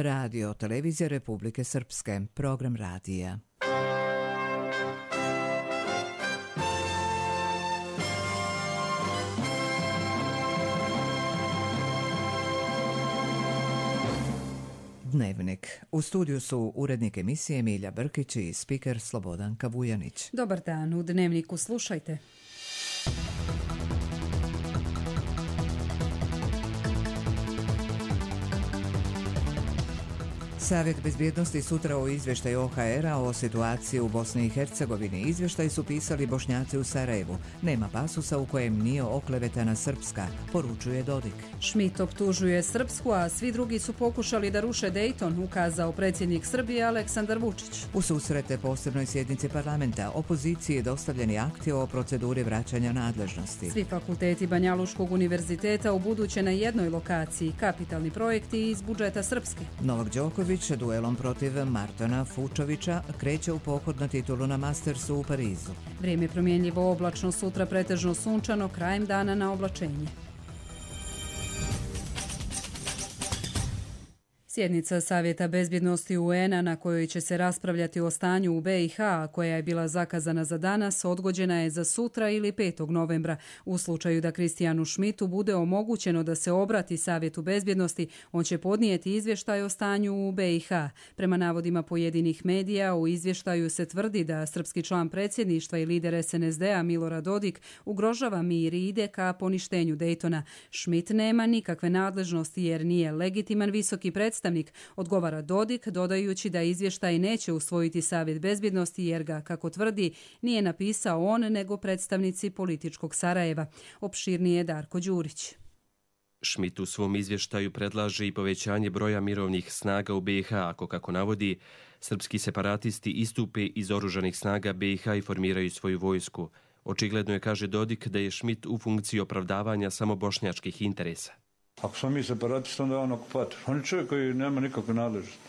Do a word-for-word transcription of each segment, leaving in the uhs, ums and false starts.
Radio Televizija Republike Srpske, program radija. Dnevnik. U studiju su urednik emisije Milja Brkić i spiker Slobodanka Vujanić. Dobar dan, u Dnevniku slušajte. Savjet bezbjednosti sutra o izvještaju O H R-a o situaciji u Bosni i Hercegovini. Izvještaj su pisali Bošnjaci u Sarajevu. Nema pasusa u kojem nije oklevetana Srpska, poručuje Dodik. Schmidt optužuje Srpsku, a svi drugi su pokušali da ruše Dayton, ukazao predsjednik Srbije Aleksandar Vučić. U susrete posebnoj sjednici parlamenta opoziciji je dostavljeni akti o proceduri vraćanja nadležnosti. Svi fakulteti Banjaluškog univerziteta u buduće na jednoj lokaciji, kapitalni projekti iz budžeta Srpske. Novak Đoković duelom protiv Martona Fučovića kreće u pohod na titulu na Mastersu u Parizu. Vrijeme promjenljivo, oblačno, sutra pretežno sunčano, krajem dana na oblačenje. Sjednica Savjeta bezbjednosti U N-a na kojoj će se raspravljati o stanju u B i H, koja je bila zakazana za danas, odgođena je za sutra ili petog novembra. U slučaju da Kristijanu Schmidtu bude omogućeno da se obrati Savjetu bezbjednosti, on će podnijeti izvještaj o stanju u B i H. Prema navodima pojedinih medija, u izvještaju se tvrdi da srpski član predsjedništva i lider S N S D-a Milorad Dodik ugrožava mir i ide ka poništenju Daytona. Schmidt nema nikakve nadležnosti jer nije legitiman visoki predstavnik, odgovara Dodik, dodajući da izvještaj neće usvojiti Savjet bezbjednosti jer ga, kako tvrdi, nije napisao on nego predstavnici političkog Sarajeva. Opširnije Darko Đurić. Schmidt u svom izvještaju predlaže i povećanje broja mirovnih snaga u B i H, ako, kako navodi, srpski separatisti istupe iz oružanih snaga B i H i formiraju svoju vojsku. Očigledno je, kaže Dodik, da je Schmidt u funkciji opravdavanja samo bošnjačkih interesa. Ako smo mi separatisti, onda je on okupator. On je čovjek koji nema nikakve nadležnosti.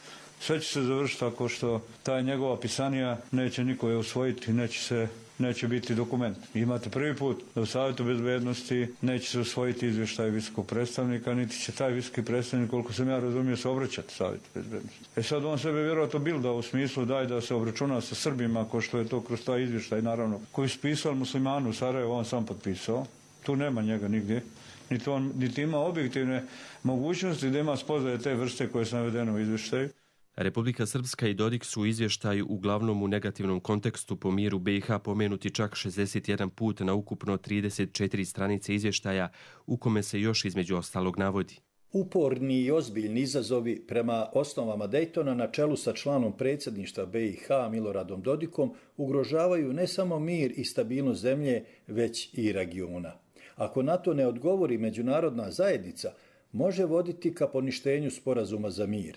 Sve će se završiti tako što ta njegova pisanija neće niko je usvojiti, neće, se, neće biti dokument. Imate prvi put da u Savjetu bezbjednosti neće se usvojiti izvještaj visokog predstavnika, niti će taj visoki predstavnik, koliko sam ja razumio, se obraćati Savjetu bezbjednosti. E sad on sebe vjerojatno bilda u smislu daj da se obračuna sa Srbima, ko što je to kroz taj izvještaj, naravno, koji su pisali muslimanu u Sarajevu, on sam potpisao. Tu nema njega nigdje. Niti, on, niti ima objektivne mogućnosti da ima spoznaje te vrste koje su navedene u izvještaju. Republika Srpska i Dodik su u izvještaju uglavnom u negativnom kontekstu po miru B i H pomenuti čak šezdeset jedan put na ukupno trideset četiri stranice izvještaja, u kome se još između ostalog navodi. Uporni i ozbiljni izazovi prema osnovama Daytona na čelu sa članom predsjedništva B i H Miloradom Dodikom ugrožavaju ne samo mir i stabilnost zemlje, već i regiona. Ako na to ne odgovori međunarodna zajednica, može voditi ka poništenju sporazuma za mir.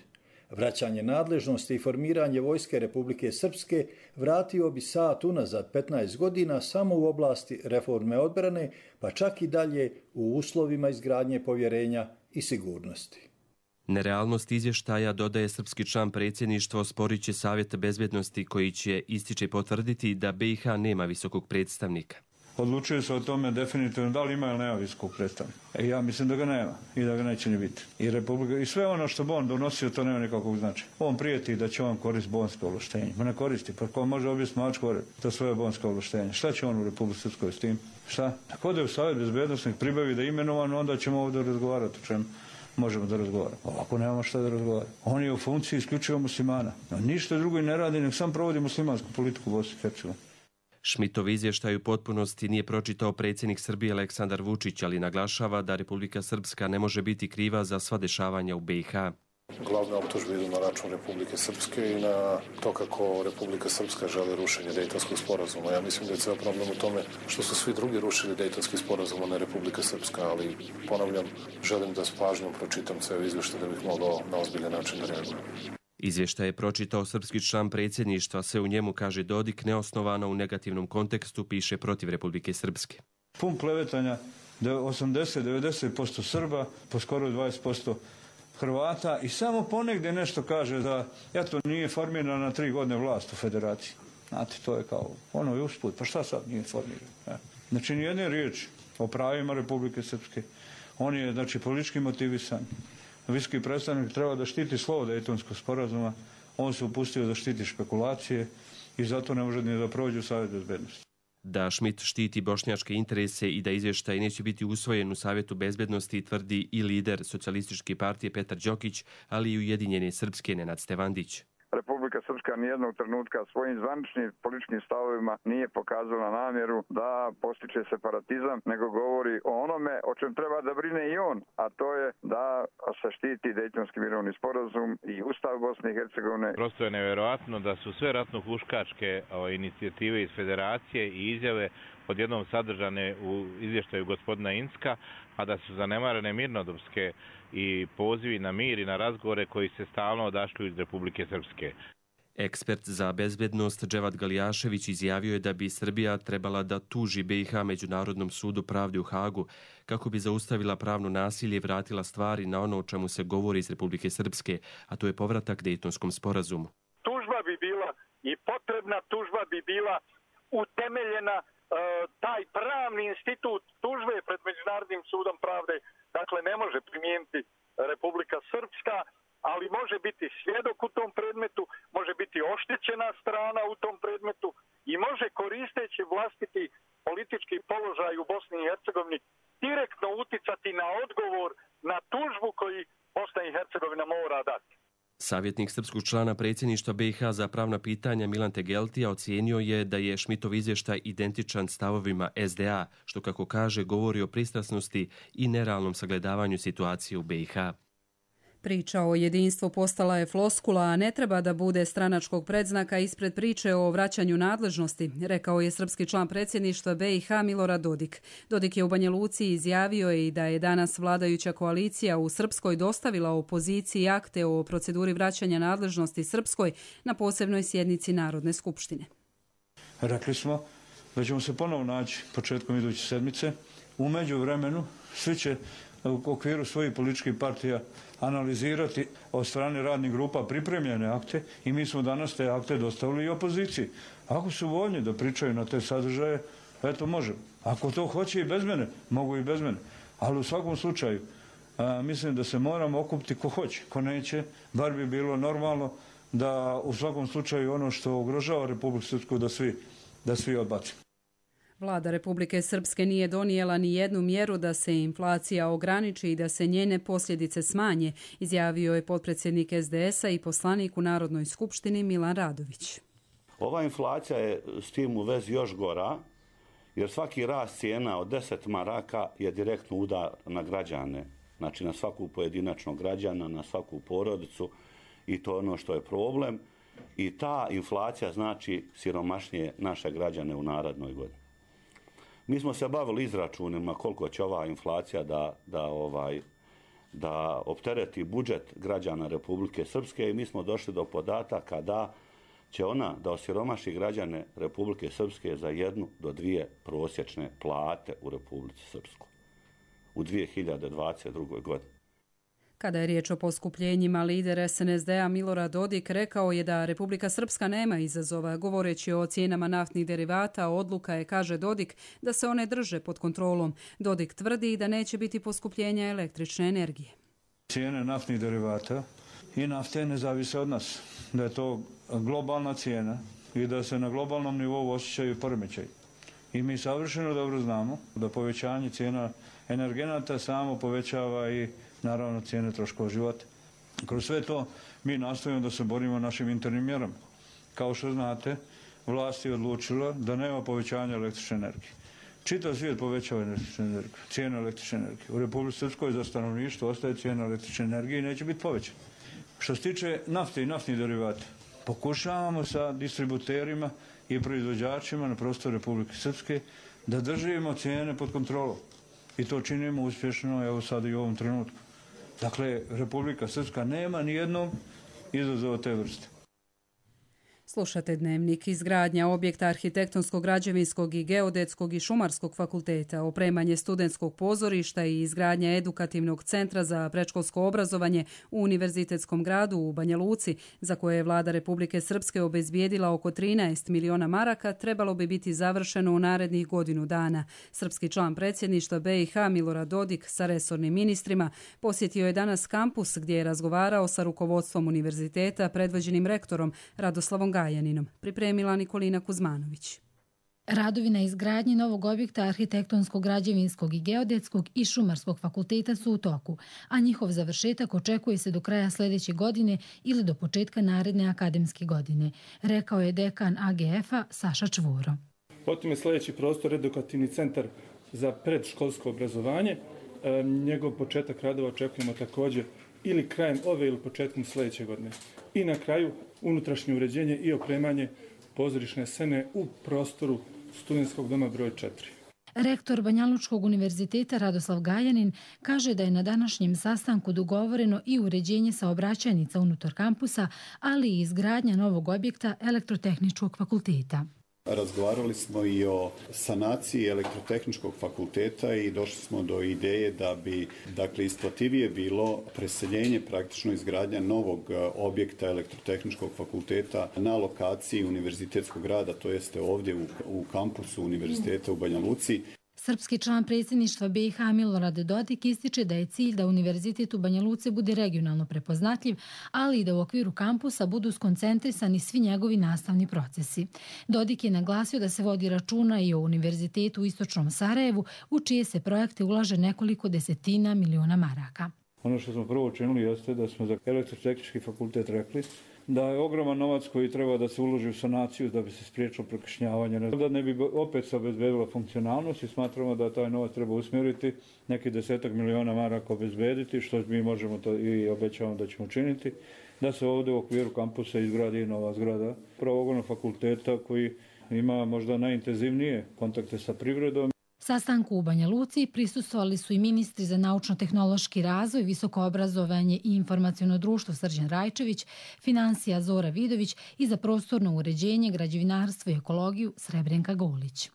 Vraćanje nadležnosti i formiranje vojske Republike Srpske vratio bi sat unazad petnaest godina samo u oblasti reforme odbrane, pa čak i dalje u uslovima izgradnje povjerenja i sigurnosti. Nerealnost izvještaja, dodaje srpski član predsjedništva, osporit će Savjet bezbjednosti koji će, ističe, potvrditi da B i H nema visokog predstavnika. Odlučuje se o tome definitivno da li ima ili nema visokog predstavnika. E, ja mislim da ga nema i da ga neće ni biti. I, Republika, i sve ono što bi on donosio, to nema nikakvog značaja. On prijeti da će on koristiti bonsko ovlaštenje. Ma ne koristi, pa ko može objasniti mačku to svoje bonsko ovlaštenje. Šta će on u Republici Srpskoj s tim? Šta? Ako ode u Savjet bezbjednosti, pribavi da je imenovan, onda ćemo ovdje razgovarati o čemu možemo da razgovaramo. Ovako nemamo šta da razgovaramo. On je u funkciji isključivo muslimana. No, ništa drugo i ne radi, nek sam provodi muslimansku politiku u Bosni i Hercegovini. Schmidtov izvještaj u potpunosti nije pročitao predsjednik Srbije Aleksandar Vučić, ali naglašava da Republika Srpska ne može biti kriva za sva dešavanja u B i H. Glavne optužbe idu na račun Republike Srpske i na to kako Republika Srpska želi rušenje Dejtonskog sporazuma. Ja mislim da je ceo problem u tome što su svi drugi rušili Dejtonski sporazum, a ne Republika Srpska, ali ponavljam, želim da s pažnjom pročitam ceo izvještaj da bih mogao na ozbiljan način da reagujem. Izvještaj je pročitao srpski član predsjedništva, se u njemu, kaže Dodik, neosnovano u negativnom kontekstu piše protiv Republike Srpske. Pun klevetanja, osamdeset do devedeset posto Srba, po skoro dvadeset posto Hrvata i samo ponegdje nešto kaže da eto nije formirana na tri godine vlast u federaciji. Znate, to je kao ono je usput, pa šta sad nije formirano? Znači, nijedne riječi o pravima Republike Srpske. On je, znači, politički motivisan. visoki predstavnik treba da štiti slovo Dejtonskog sporazuma, on se upustio da štiti špekulacije i zato ne može ni da prođe u Savjet bezbednosti. Da Schmidt štiti bošnjačke interese i da izvještaj neće biti usvojen u Savjetu bezbednosti tvrdi i lider Socijalističke partije Petar Đokić, ali i Ujedinjene Srpske Nenad Stevandić. Republika Srpska nijednog trenutka svojim zvaničnim političkim stavovima nije pokazala namjeru da postiče separatizam, nego govori o onome o čem treba da brine i on, a to je da se štiti Dejtonski mirovni sporazum i Ustav Bosne i Hercegovine. Prosto je nevjerojatno da su sve ratno-huškačke inicijative iz federacije i izjave odjednom sadržane u izvještaju gospodina Incka, a da su zanemarene mirnodopske i pozivi na mir i na razgovore koji se stalno odašlju iz Republike Srpske. Ekspert za bezbednost Dževad Galijašević izjavio je da bi Srbija trebala da tuži B i H Međunarodnom sudu pravde u Hagu kako bi zaustavila pravno nasilje i vratila stvari na ono o čemu se govori iz Republike Srpske, a to je povratak Dejtonskom sporazumu. Tužba bi bila i potrebna tužba bi bila utemeljena, taj pravni institut tužbe pred Međunarodnim sudom pravde, dakle ne može primijeniti Republika Srpska, ali može biti svjedok u tom predmetu, može biti oštećena strana u tom predmetu i može koristeći vlastiti politički položaj u Bosni i Hercegovini direktno uticati na odgovor na tužbu koji Bosna i Hercegovina mora dati. Savjetnik srpskog člana predsjedništva B i H za pravna pitanja Milan Tegeltija ocijenio je da je Schmidtov izvještaj identičan stavovima S D A, što kako kaže govori o pristrasnosti i nerealnom sagledavanju situacije u B i H. Priča o jedinstvu postala je floskula, a ne treba da bude stranačkog predznaka ispred priče o vraćanju nadležnosti, rekao je srpski član predsjedništva B i H Milorad Dodik. Dodik je u Banja Luci izjavio i da je danas vladajuća koalicija u Srpskoj dostavila opoziciji akte o proceduri vraćanja nadležnosti Srpskoj na posebnoj sjednici Narodne skupštine. Rekli smo da ćemo se ponovo naći početkom iduće sedmice. U međuvremenu svi će u okviru svojih političkih partija analizirati od strane radnih grupa pripremljene akte i mi smo danas te akte dostavili i opoziciji. Ako su voljni da pričaju na te sadržaje, eto možemo. Ako to hoće i bez mene, mogu i bez mene. Ali u svakom slučaju, a, mislim da se moramo okupiti ko hoće, ko neće, bar bi bilo normalno da u svakom slučaju ono što ugrožava Republiku Srpsku da svi, da svi odbacimo. Vlada Republike Srpske nije donijela ni jednu mjeru da se inflacija ograniči i da se njene posljedice smanje, izjavio je potpredsjednik S D S-a i poslanik u Narodnoj skupštini Milan Radović. Ova inflacija je s tim u vezi još gora, jer svaki rast cijena od deset maraka je direktno udar na građane, znači na svaku pojedinačnog građana, na svaku porodicu i to je ono što je problem. I ta inflacija znači siromašnije naše građane u narednoj godini. Mi smo se bavili izračunima koliko će ova inflacija da, da, ovaj, da optereti budžet građana Republike Srpske i mi smo došli do podataka da će ona da osiromaši građane Republike Srpske za jednu do dvije prosječne plate u Republici Srpskoj u dvije hiljade dvadeset drugoj godini. Kada je riječ o poskupljenjima, lider S N S D-a Milorad Dodik rekao je da Republika Srpska nema izazova. Govoreći o cijenama naftnih derivata, odluka je, kaže Dodik, da se one drže pod kontrolom. Dodik tvrdi da neće biti poskupljenja električne energije. Cijene naftnih derivata i nafte ne zavise od nas. Da je to globalna cijena i da se na globalnom nivou osjećaju poremećaji. I mi savršeno dobro znamo da povećanje cijena energenata samo povećava i naravno cijene troškova života. Kroz sve to mi nastojimo da se borimo našim internim mjerama. Kao što znate, vlast je odlučila da nema povećanja električne energije. Čitav svijet povećava električnu energiju, cijenu električne energije. U Republici Srpskoj za stanovništvo ostaje cijena električne energije i neće biti povećana. Što se tiče nafte i naftnih derivata, pokušavamo sa distributerima i proizvođačima na prostoru Republike Srpske da držimo cijene pod kontrolom. I to činimo uspješno, evo sad i u ovom trenutku. Dakle, Republika Srpska nema ni jednog izazova te vrste. Slušate Dnevnik. Izgradnja objekta arhitektonskog, građevinskog i geodetskog i šumarskog fakulteta, opremanje studentskog pozorišta i izgradnja edukativnog centra za predškolsko obrazovanje u Univerzitetskom gradu u Banja Luci, za koje je vlada Republike Srpske obezbijedila oko trinaest miliona maraka, trebalo bi biti završeno u narednih godinu dana. Srpski član predsjedništva B i H Milorad Dodik sa resornim ministrima posjetio je danas kampus gdje je razgovarao sa rukovodstvom univerziteta predvođenim rektorom Radoslavom Gajaninom, pripremila Nikolina Kuzmanović. Radovi na izgradnji novog objekta arhitektonskog, građevinskog i geodetskog i šumarskog fakulteta su u toku, a njihov završetak očekuje se do kraja sljedeće godine ili do početka naredne akademske godine, rekao je dekan A G F-a Saša Čvoro. Potom je sljedeći prostor edukativni centar za predškolsko obrazovanje. E, njegov početak radova očekujemo također ili krajem ove ili početkom sljedeće godine. I na kraju unutrašnje uređenje i opremanje pozorišne scene u prostoru studentskog doma broj četiri. Rektor Banjalučkog univerziteta Radoslav Gajanin kaže da je na današnjem sastanku dogovoreno i uređenje saobraćajnica unutar kampusa, ali i izgradnja novog objekta elektrotehničkog fakulteta. Razgovarali smo i o sanaciji elektrotehničkog fakulteta i došli smo do ideje da bi, dakle, isplativije bilo preseljenje, praktično izgradnja novog objekta elektrotehničkog fakulteta na lokaciji Univerzitetskog grada, to jeste ovdje u, u kampusu Univerziteta u Banja Luci. Srpski član predsjedništva B i H Milorad Dodik ističe da je cilj da Univerzitet u Banja Luci bude regionalno prepoznatljiv, ali i da u okviru kampusa budu skoncentrisani svi njegovi nastavni procesi. Dodik je naglasio da se vodi računa i o Univerzitetu u Istočnom Sarajevu, u čije se projekte ulaže nekoliko desetina miliona maraka. Ono što smo prvo učinili jeste da smo za elektrotehnički fakultet rekli da je ogroman novac koji treba da se uloži u sanaciju da bi se spriječilo prokišnjavanje. Da ne bi opet se obezbedila funkcionalnost i smatramo da taj novac treba usmjeriti, neki desetak miliona maraka obezbediti, što mi možemo to i obećavamo da ćemo učiniti, da se ovdje u okviru kampusa izgradi nova zgrada pravogornog fakulteta koji ima možda najintenzivnije kontakte sa privredom. Sastanku u Banja Luci prisustvovali su i ministri za naučno-tehnološki razvoj, visoko obrazovanje i informaciono društvo Srđan Rajčević, financija Zora Vidović i za prostorno uređenje, građevinarstvo i ekologiju Srebrenka Golić.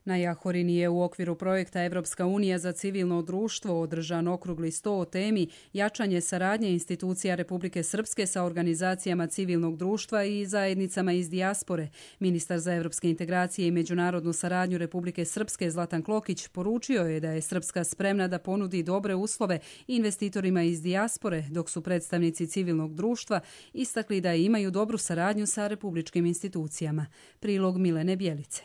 Na Jahorini je u okviru projekta Evropska unija za civilno društvo održan okrugli sto o temi jačanje saradnje institucija Republike Srpske sa organizacijama civilnog društva i zajednicama iz dijaspore. Ministar za evropske integracije i međunarodnu saradnju Republike Srpske Zlatan Klokić poručio je da je Srpska spremna da ponudi dobre uslove investitorima iz dijaspore, dok su predstavnici civilnog društva istakli da imaju dobru saradnju sa republičkim institucijama. Prilog Milene Bjelice.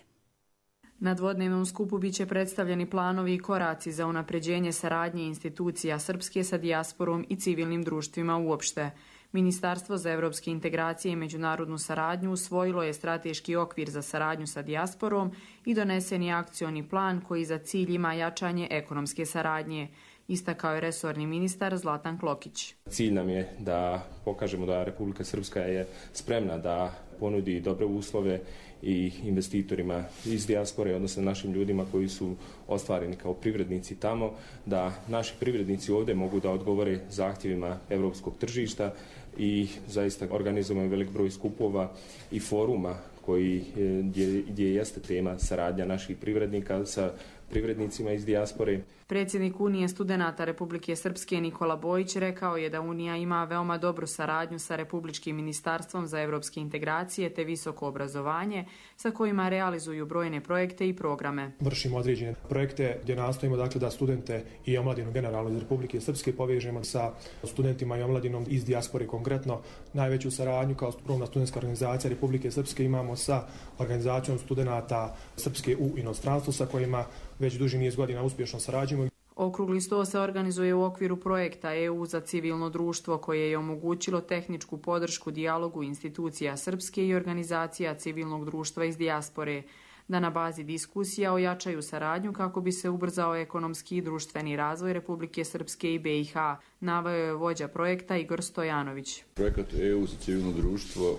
Na dvodnevnom skupu biće predstavljeni planovi i koraci za unapređenje saradnje institucija Srpske sa dijasporom i civilnim društvima uopšte. Ministarstvo za evropske integracije i međunarodnu saradnju usvojilo je strateški okvir za saradnju sa dijasporom i donesen je akcioni plan koji za cilj ima jačanje ekonomske saradnje, istakao je resorni ministar Zlatan Klokić. Cilj nam je da pokažemo da Republika Srpska je spremna da ponudi dobre uslove i investitorima iz dijaspore, odnosno našim ljudima koji su ostvareni kao privrednici tamo, da naši privrednici ovdje mogu da odgovore zahtjevima evropskog tržišta i zaista organizujemo velik broj skupova i foruma koji, gdje, gdje jeste tema saradnja naših privrednika sa privrednicima iz dijaspore. Predsjednik Unije studenata Republike Srpske Nikola Bojić rekao je da Unija ima veoma dobru saradnju sa Republičkim ministarstvom za evropske integracije te visoko obrazovanje, sa kojima realizuju brojne projekte i programe. Vršimo određene projekte gdje nastojimo dakle, da studente i omladinu generalno iz Republike Srpske povežemo sa studentima i omladinom iz dijaspore konkretno. Najveću saradnju kao krovna studentska organizacija Republike Srpske imamo sa organizacijom studenata Srpske u inostranstvu sa kojima već duži niz godina uspješno sarađujemo. Okrugli sto se organizuje u okviru projekta E U za civilno društvo koje je omogućilo tehničku podršku dijalogu institucija Srpske i organizacija civilnog društva iz dijaspore, da na bazi diskusija ojačaju saradnju kako bi se ubrzao ekonomski i društveni razvoj Republike Srpske i B i H, naveo je vođa projekta Igor Stojanović. Projekat E U za civilno društvo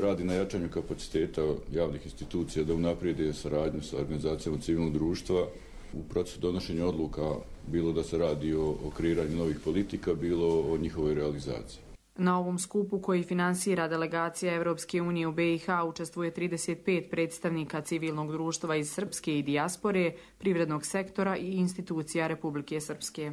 radi na jačanju kapaciteta javnih institucija da unaprijede saradnju sa organizacijama civilnog društva u procesu donošenja odluka, bilo da se radi o, o kreiranju novih politika, bilo o njihovoj realizaciji. Na ovom skupu koji finansira delegacija Evropske unije u B i H učestvuje trideset pet predstavnika civilnog društva iz Srpske i dijaspore, privrednog sektora i institucija Republike Srpske.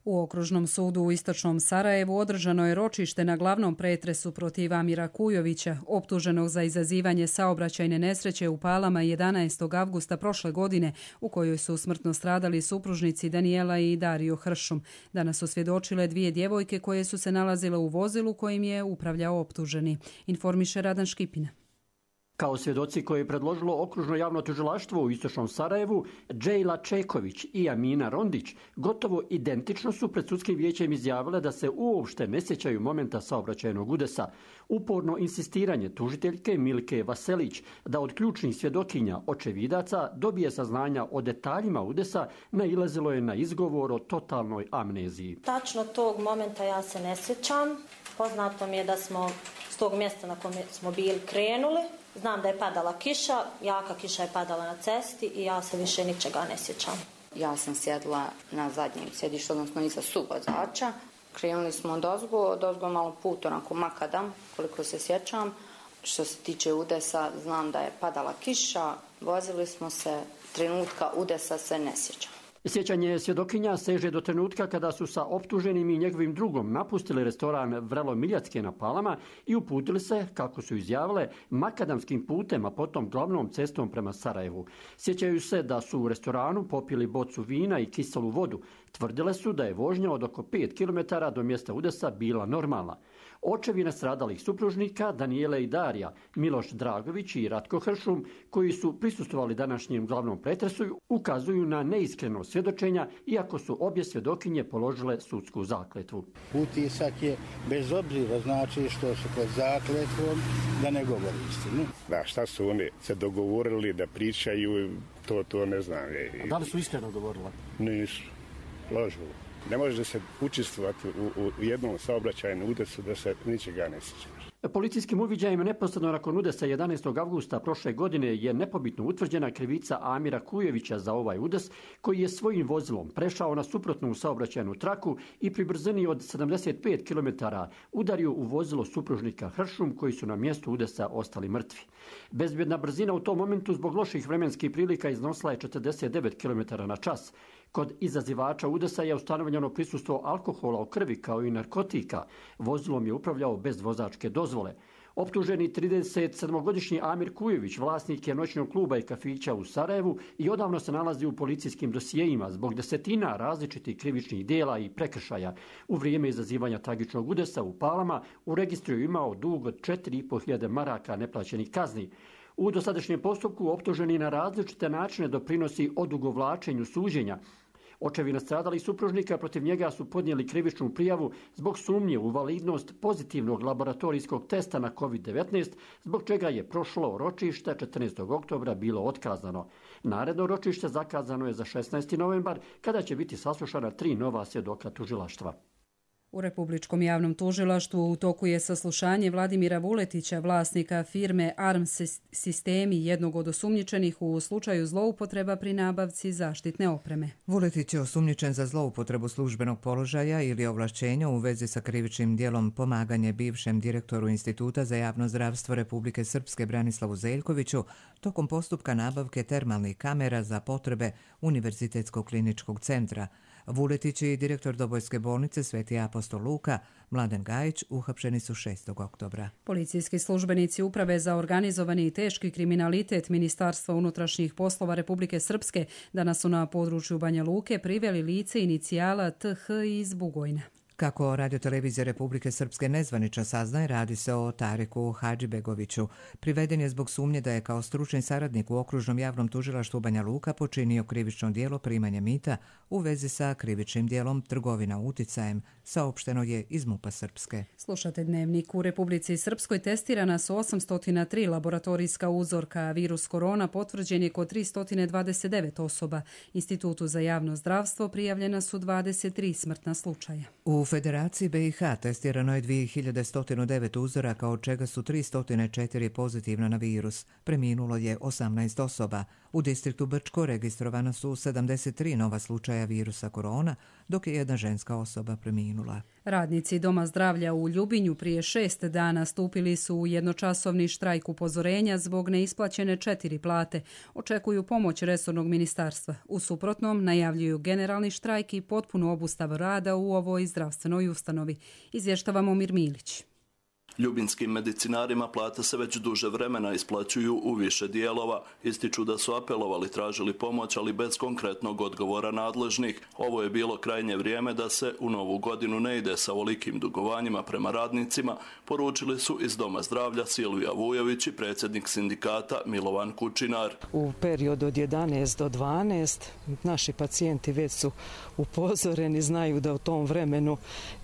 U Okružnom sudu u Istočnom Sarajevu održano je ročište na glavnom pretresu protiv Amira Kujovića, optuženog za izazivanje saobraćajne nesreće u Palama jedanaestog avgusta prošle godine, u kojoj su smrtno stradali supružnici Danijela i Dario Hršum. Danas su svjedočile dvije djevojke koje su se nalazile u vozilu kojim je upravljao optuženi. Informiše Radan Škipina. Kao svjedoci koje je predložilo Okružno javno tužilaštvo u Istočnom Sarajevu, Džejla Čeković i Amina Rondić gotovo identično su pred sudskim vijećem izjavile da se uopšte ne sjećaju momenta saobraćajnog udesa. Uporno insistiranje tužiteljke Milke Vaselić da od ključnih svjedokinja očevidaca dobije saznanja o detaljima udesa nailazilo je na izgovor o totalnoj amneziji. Tačno tog momenta ja se ne sjećam. Poznato mi je da smo s tog mjesta na kojem smo bili krenuli. Znam da je padala kiša, jaka kiša je padala na cesti i ja se više ničega ne sjećam. Ja sam sjedla na zadnjem sjedištu, odnosno iza suvozača. Krenuli smo od ozgo, od ozgo malo put, onako makadam, koliko se sjećam. Što se tiče udesa, znam da je padala kiša, vozili smo se, trenutka udesa se ne sjećam. Sjećanje svjedokinja seže do trenutka kada su sa optuženim i njegovim drugom napustili restoran Vrelo Miljacke na Palama i uputili se, kako su izjavile, makadamskim putem, a potom glavnom cestom prema Sarajevu. Sjećaju se da su u restoranu popili bocu vina i kiselu vodu. Tvrdile su da je vožnja od oko pet kilometara do mjesta udesa bila normalna. Očevi nastradalih supružnika, Danijele i Darija, Miloš Dragović i Ratko Hršum, koji su prisustvovali današnjem glavnom pretresu, ukazuju na neiskreno svjedočenja, iako su obje svjedokinje položile sudsku zakletvu. Utisak je, bez obzira znači što su pod zakletvom, da ne govori istinu. Da, šta su oni se dogovorili da pričaju, to, to ne znam. A da li su iskreno govorila? Nisu, lažu. Ne može se učestvovati u, u jednom saobraćajnom udesu da se ničega ne sjećaš. Policijskim uviđajem neposredno nakon udesa jedanaestog avgusta prošle godine je nepobitno utvrđena krivica Amira Kujovića za ovaj udes, koji je svojim vozilom prešao na suprotnu saobraćajnu traku i pri brzini od sedamdeset pet kilometara udario u vozilo supružnika Hršum, koji su na mjestu udesa ostali mrtvi. Bezbjedna brzina u tom momentu zbog loših vremenskih prilika iznosila je četrdeset devet kilometara na čas. Kod izazivača udesa je ustanovljeno prisustvo alkohola u krvi kao i narkotika. Vozilom je upravljao bez vozačke dozvole. Optuženi tridesetsedmogodišnji Amir Kujović vlasnik je noćnog kluba i kafića u Sarajevu i odavno se nalazi u policijskim dosijejima zbog desetina različitih krivičnih djela i prekršaja. U vrijeme izazivanja tragičnog udesa u Palama u registru je imao dug od četiri i po hiljade maraka neplaćenih kazni. U dosadašnjem postupku optuženi na različite načine doprinosi odugovlačenju suđenja. Očevi nastradalih supružnika protiv njega su podnijeli krivičnu prijavu zbog sumnje u validnost pozitivnog laboratorijskog testa na kovid devetnaest, zbog čega je prošlo ročište četrnaestog oktobra bilo otkazano. Naredno ročište zakazano je za šesnaesti novembar, kada će biti saslušana tri nova svjedoka tužilaštva. U Republičkom javnom tužilaštvu u toku je saslušanje Vladimira Vuletića, vlasnika firme Arm Sistemi, jednog od osumnjičenih u slučaju zloupotreba pri nabavci zaštitne opreme. Vuletić je osumnjičen za zloupotrebu službenog položaja ili ovlašćenja u vezi sa krivičnim djelom pomaganje bivšem direktoru Instituta za javno zdravstvo Republike Srpske Branislavu Zeljkoviću tokom postupka nabavke termalnih kamera za potrebe Univerzitetskog kliničkog centra. Vuletić i direktor Dobojske bolnice Sveti apostol Luka, Mladen Gajić, uhapšeni su šestog oktobra. Policijski službenici Uprave za organizovani i teški kriminalitet Ministarstva unutrašnjih poslova Republike Srpske danas su na području Banja Luke priveli lice inicijala T H iz Bugojna. Kako Radiotelevizija Republike Srpske nezvanično saznaje, radi se o Tariku Hadžibegoviću. Priveden je zbog sumnje da je kao stručni saradnik u Okružnom javnom tužilaštvu Banja Luka počinio krivično djelo primanja mita u vezi sa krivičnim djelom trgovina uticajem, saopšteno je iz MUP-a Srpske. Slušate Dnevnik. U Republici Srpskoj testirana su osamsto tri laboratorijska uzorka, a virus korona potvrđen je kod tristo dvadeset devet osoba. Institutu za javno zdravstvo prijavljena su dvadeset tri smrtna slučaja. U Federaciji B i H testirano je dvije hiljade sto devet uzoraka, od čega su tristo četiri pozitivno na virus. Preminulo je osamnaest osoba. U distriktu Brčko registrovana su sedamdeset tri nova slučaja virusa korona, dok je jedna ženska osoba preminula. Radnici Doma zdravlja u Ljubinju prije šest dana stupili su u jednočasovni štrajk upozorenja zbog neisplaćene četiri plate. Očekuju pomoć resornog ministarstva. U suprotnom najavljuju generalni štrajk i potpunu obustavu rada u ovoj zdravstvenoj ustanovi. Izvještava Momir Milić. Ljubinskim medicinarima plate se već duže vremena isplaćuju u više dijelova. Ističu da su apelovali, tražili pomoć, ali bez konkretnog odgovora nadležnih. Ovo je bilo krajnje vrijeme da se u novu godinu ne ide sa ovolikim dugovanjima prema radnicima, poručili su iz Doma zdravlja Silvija Vujović i predsjednik sindikata Milovan Kučinar. U periodu od jedanaest do dvanaest naši pacijenti već su upozoreni, znaju da u tom vremenu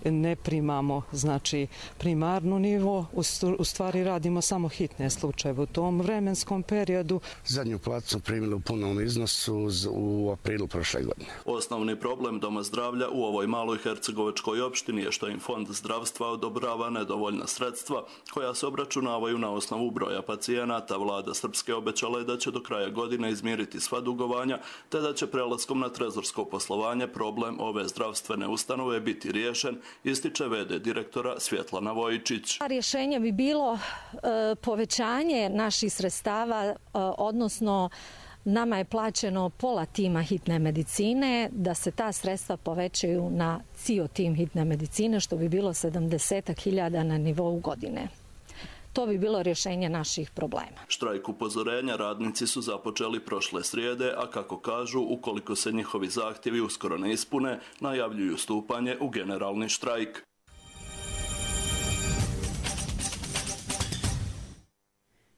ne primamo znači primarnu nivu. U stvari radimo samo hitne slučajeve u tom vremenskom periodu. Zadnju platu smo primili u punom iznosu u aprilu prošle godine. Osnovni problem Doma zdravlja u ovoj maloj hercegovačkoj opštini je što im Fond zdravstva odobrava nedovoljna sredstva koja se obračunavaju na osnovu broja pacijenata. Vlada Srpske obećala je da će do kraja godine izmiriti sva dugovanja, te da će prelaskom na trezorsko poslovanje problem ove zdravstvene ustanove biti riješen, ističe ve de direktora Svjetlana Vojičić. Rješenje bi bilo e, povećanje naših sredstava, e, odnosno nama je plaćeno pola tima hitne medicine, da se ta sredstva povećaju na cijel tim hitne medicine, što bi bilo sedamdeset hiljada na nivou godine. To bi bilo rješenje naših problema. Štrajk upozorenja radnici su započeli prošle srijede, a kako kažu, ukoliko se njihovi zahtjevi uskoro ne ispune, najavljuju stupanje u generalni štrajk.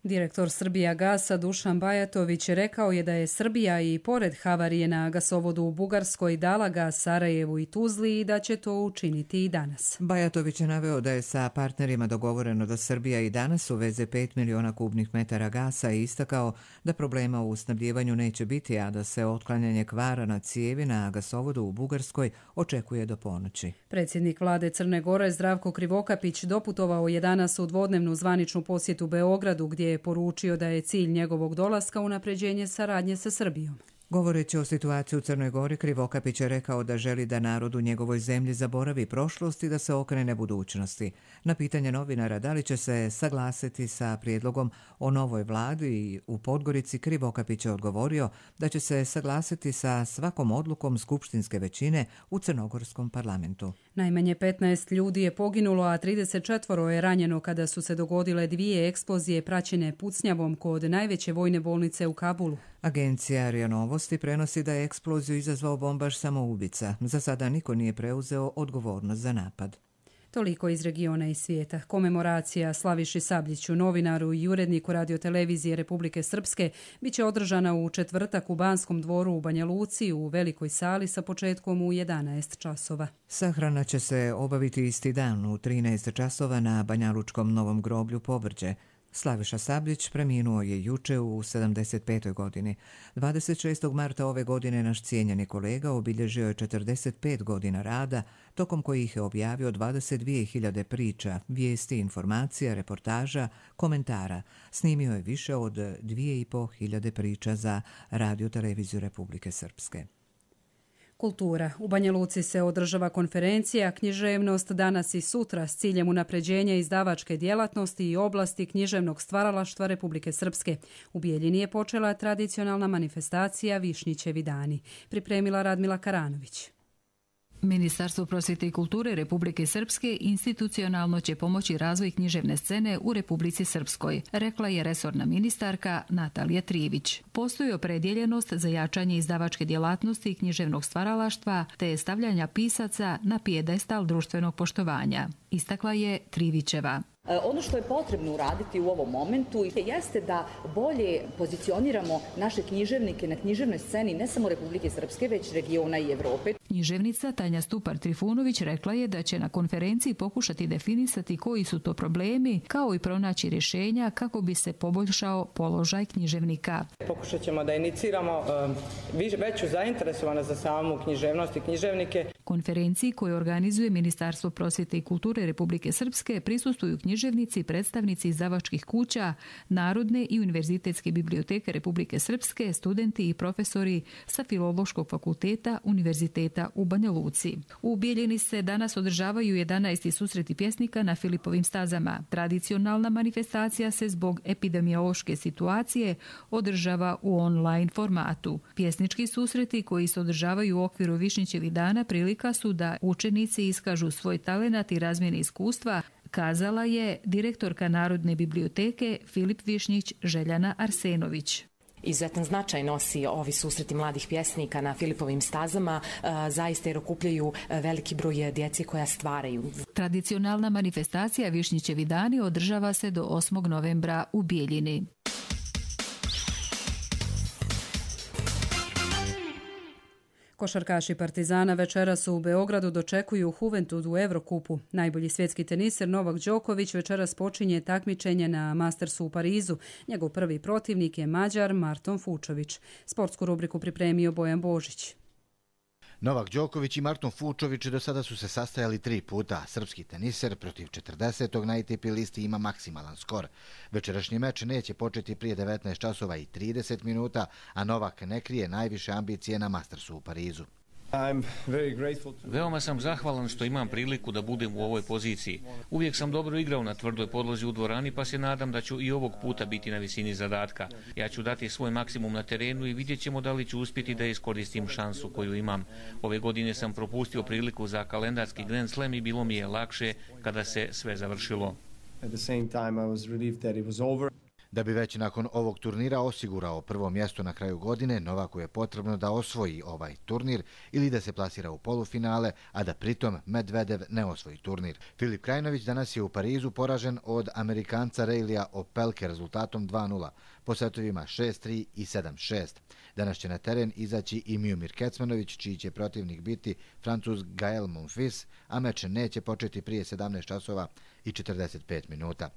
Direktor Srbijagasa Dušan Bajatović rekao je da je Srbija i pored havarije na gasovodu u Bugarskoj dala gas Sarajevu i Tuzli i da će to učiniti i danas. Bajatović je naveo da je sa partnerima dogovoreno da Srbija i danas uveze pet miliona kubnih metara gasa i istakao da problema u snabdjevanju neće biti, a da se otklanjanje kvara na cijevi na gasovodu u Bugarskoj očekuje do ponoći. Predsjednik vlade Crne Gore Zdravko Krivokapić doputovao je danas u dvodnevnu zvaničnu posjetu Beogradu, gdje je poručio da je cilj njegovog dolaska unapređenje saradnje sa Srbijom. Govoreći o situaciji u Crnoj Gori, Krivokapić je rekao da želi da narod u njegovoj zemlji zaboravi prošlost i da se okrene budućnosti. Na pitanje novinara da li će se saglasiti sa prijedlogom o novoj vladi u Podgorici, Krivokapić je odgovorio da će se saglasiti sa svakom odlukom skupštinske većine u crnogorskom parlamentu. Najmanje petnaest ljudi je poginulo, a trideset četvoro je ranjeno kada su se dogodile dvije eksplozije praćene pucnjavom kod najveće vojne bolnice u Kabulu. Agencija R I A Novosti prenosi da je eksploziju izazvao bombaš samoubica. Za sada niko nije preuzeo odgovornost za napad. Toliko iz regiona i svijeta. Komemoracija Slaviši Sabljiću, novinaru i uredniku radiotelevizije Republike Srpske, bit će održana u četvrtak u Banskom dvoru u Banja Luci u velikoj sali sa početkom u jedanaest časova. Sahrana će se obaviti isti dan u trinaest časova na Banjalučkom Novom groblju Povrđe. Slaviša Sabljić preminuo je juče u sedamdeset petoj godini. dvadeset šestog marta ove godine naš cijenjeni kolega obilježio je četrdeset pet godina rada, tokom kojih je objavio dvadeset dvije hiljade priča, vijesti, informacija, reportaža, komentara. Snimio je više od dvije i po hiljade priča za radioteleviziju Republike Srpske. Kultura. U Banja Luci se održava konferencija Književnost danas i sutra s ciljem unapređenja izdavačke djelatnosti i oblasti književnog stvaralaštva Republike Srpske. U Bijeljini je počela tradicionalna manifestacija Višnjićevi dani. Pripremila Radmila Karanović. Ministarstvo prosvjete i kulture Republike Srpske institucionalno će pomoći razvoj književne scene u Republici Srpskoj, rekla je resorna ministarka Natalija Trijević. Postoji opredjeljenost za jačanje izdavačke djelatnosti i književnog stvaralaštva te stavljanja pisaca na pijedestal društvenog poštovanja, istakla je Trivićeva. Ono što je potrebno uraditi u ovom momentu jeste da bolje pozicioniramo naše književnike na književnoj sceni ne samo Republike Srpske, već regiona i Evrope. Književnica Tanja Stupar-Trifunović rekla je da će na konferenciji pokušati definisati koji su to problemi, kao i pronaći rješenja kako bi se poboljšao položaj književnika. Pokušat ćemo da iniciramo uh, veću zainteresovanost za samu književnost i književnike. Konferenciji koju organizuje Ministarstvo prosvjete i kulture Republike Srpske prisustvuju književnici književnici, predstavnici izdavačkih kuća, Narodne i Univerzitetske biblioteke Republike Srpske, studenti i profesori sa Filološkog fakulteta Univerziteta u Banja Luci. U Bijeljini se danas održavaju jedanaesti susreti pjesnika na Filipovim stazama. Tradicionalna manifestacija se zbog epidemiološke situacije održava u online formatu. Pjesnički susreti koji se održavaju u okviru Višnjićevih dana prilika su da učenici iskažu svoj talenat i razmjene iskustva, kazala je direktorka Narodne biblioteke Filip Višnjić Željana Arsenović. Izuzetan značaj nosi ovi susreti mladih pjesnika na Filipovim stazama, zaista jer okupljaju veliki broj djece koja stvaraju. Tradicionalna manifestacija Višnjićevi dani održava se do osmog novembra u Bijeljini. Košarkaši Partizana večeras u Beogradu dočekuju Juventud u Evrokupu. Najbolji svjetski teniser Novak Đoković večeras počinje takmičenje na Mastersu u Parizu. Njegov prvi protivnik je Mađar Marton Fučović. Sportsku rubriku pripremio Bojan Božić. Novak Đoković i Marton Fučović do sada su se sastajali tri puta. Srpski teniser protiv četrdesetog na A T P listi ima maksimalan skor. Večerašnji meč neće početi prije devetnaest časova i trideset minuta, a Novak ne krije najviše ambicije na Mastersu u Parizu. Veoma sam zahvalan što imam priliku da budem u ovoj poziciji. Uvijek sam dobro igrao na tvrdoj podlozi u dvorani, pa se nadam da ću i ovog puta biti na visini zadatka. Ja ću dati svoj maksimum na terenu i vidjet ćemo da li ću uspjeti da iskoristim šansu koju imam. Ove godine sam propustio priliku za kalendarski Grand Slam i bilo mi je lakše kada se sve završilo. Da bi već nakon ovog turnira osigurao prvo mjesto na kraju godine, Novaku je potrebno da osvoji ovaj turnir ili da se plasira u polufinale, a da pritom Medvedev ne osvoji turnir. Filip Krajinović danas je u Parizu poražen od Amerikanca Reilija Opelke rezultatom dva nula, po setovima šest tri i sedam šest. Danas će na teren izaći i Miomir Kecmanović, čiji će protivnik biti Francuz Gael Monfils, a meč neće početi prije sedamnaest časova i četrdeset pet minuta.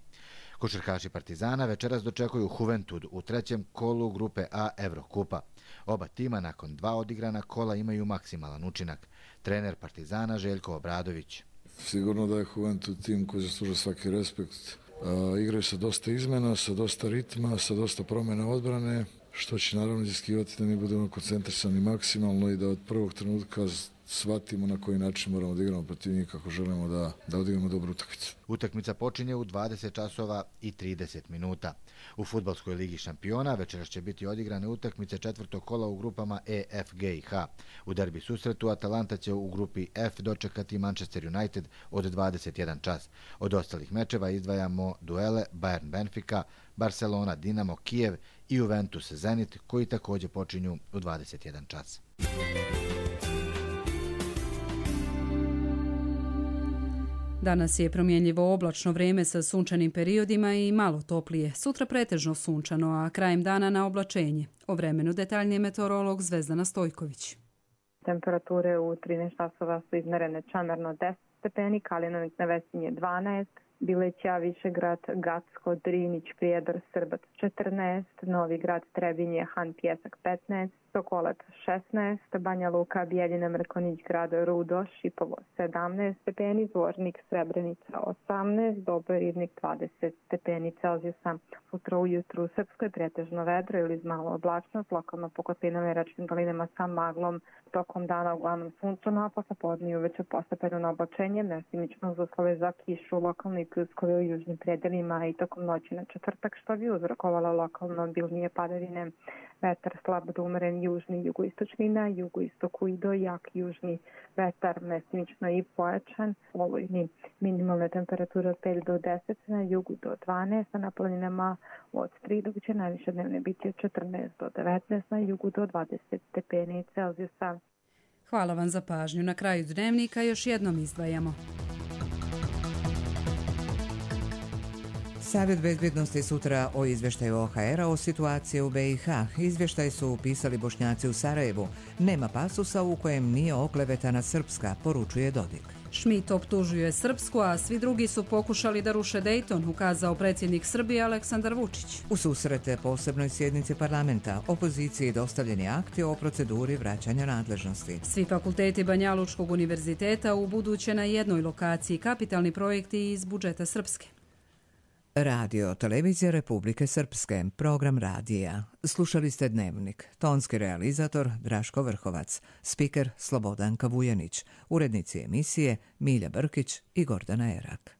Košarkaši Partizana večeras dočekuju Juventud u trećem kolu grupe A Evrokupa. Oba tima nakon dva odigrana kola imaju maksimalan učinak. Trener Partizana Željko Obradović. Sigurno da je Juventud tim koji zaslužuje svaki respekt. Uh, igraju sa dosta izmena, sa dosta ritma, sa dosta promjena odbrane, što će naravno iziskivati da mi budemo koncentrisani maksimalno i da od prvog trenutka shvatimo na koji način moramo da igramo protiv njih kako želimo da, da odigramo dobru utakmicu. Utakmica počinje u dvadeset časova i trideset minuta. U Fudbalskoj ligi šampiona večeras će biti odigrane utakmice četvrtog kola u grupama E, F, G i H. U derbi susretu Atalanta će u grupi F dočekati Manchester United od dvadeset jedan čas. Od ostalih mečeva izdvajamo duele Bayern Benfica, Barcelona Dinamo Kijev i Juventus Zenit, koji također počinju u dvadeset jedan čas. Danas je promjenljivo oblačno vrijeme sa sunčanim periodima i malo toplije. Sutra pretežno sunčano, a krajem dana na oblačenje. O vremenu detaljnije meteorolog Zvezdana Stojković. Temperature u trinaest časova su izmerene Čamerno deset stepeni, Kalinović na Vesinje dvanaest, Bileća, Višegrad, Gacko, Drinić, Prijedor, Srbac četrnaest, Novi Grad, Trebinje, Han Pjesak petnaest, Sokolac šesnaest, Banja Luka, Bijeljina, Mrkonić Grad, Rudo, Šipovo sedamnaest stepeni, Zvornik, Srebrenica osamnaest, Doboj, Ribnik dvadeset stepeni Celzijusa. Sutra ujutru u Srpskoj pretežno vedro ili malo oblačnost, lokalno po kotlinama i rečnim dolinama sa maglom. Tokom dana uglavnom sunčano, a posle podne uveče postepeno na oblačenje, mestimično uz uslove za kišu, lokalni pljuskovi u južnim predelima i tokom noći na četvrtak, što bi uzrokovalo lokalno obilnije padavine. Vetar slab do umeren južni, jugoistočni na jugoistoku i do jak južni vetar, mestimično i pojačan. Olujni minimalne temperature od pet do deset, na jugu do dvanaest, a na planinama od tri, dok će najviše dnevne biti od četrnaest do devetnaest, na jugu do dvadeset stepeni Celzijusa. Hvala vam za pažnju. Na kraju dnevnika još jednom izdvajamo. Savjet bezbjednosti sutra o izvještaju O H R-a o situaciji u B i H. Izvještaj su upisali Bošnjaci u Sarajevu. Nema pasusa u kojem nije oklevetana Srpska, poručuje Dodik. Schmidt optužuje Srpsku, a svi drugi su pokušali da ruše Dejton, ukazao predsjednik Srbije Aleksandar Vučić. U susrete posebnoj sjednici parlamenta opoziciji dostavljeni akti o proceduri vraćanja nadležnosti. Svi fakulteti Banja Lučkog univerziteta u buduće na jednoj lokaciji, kapitalni projekti iz budžeta Srpske. Radio Televizija Republike Srpske, program radija. Slušali ste Dnevnik. Tonski realizator Draško Vrhovac, spiker Slobodanka Vujanić, urednici emisije Milja Brkić i Gordana Erak.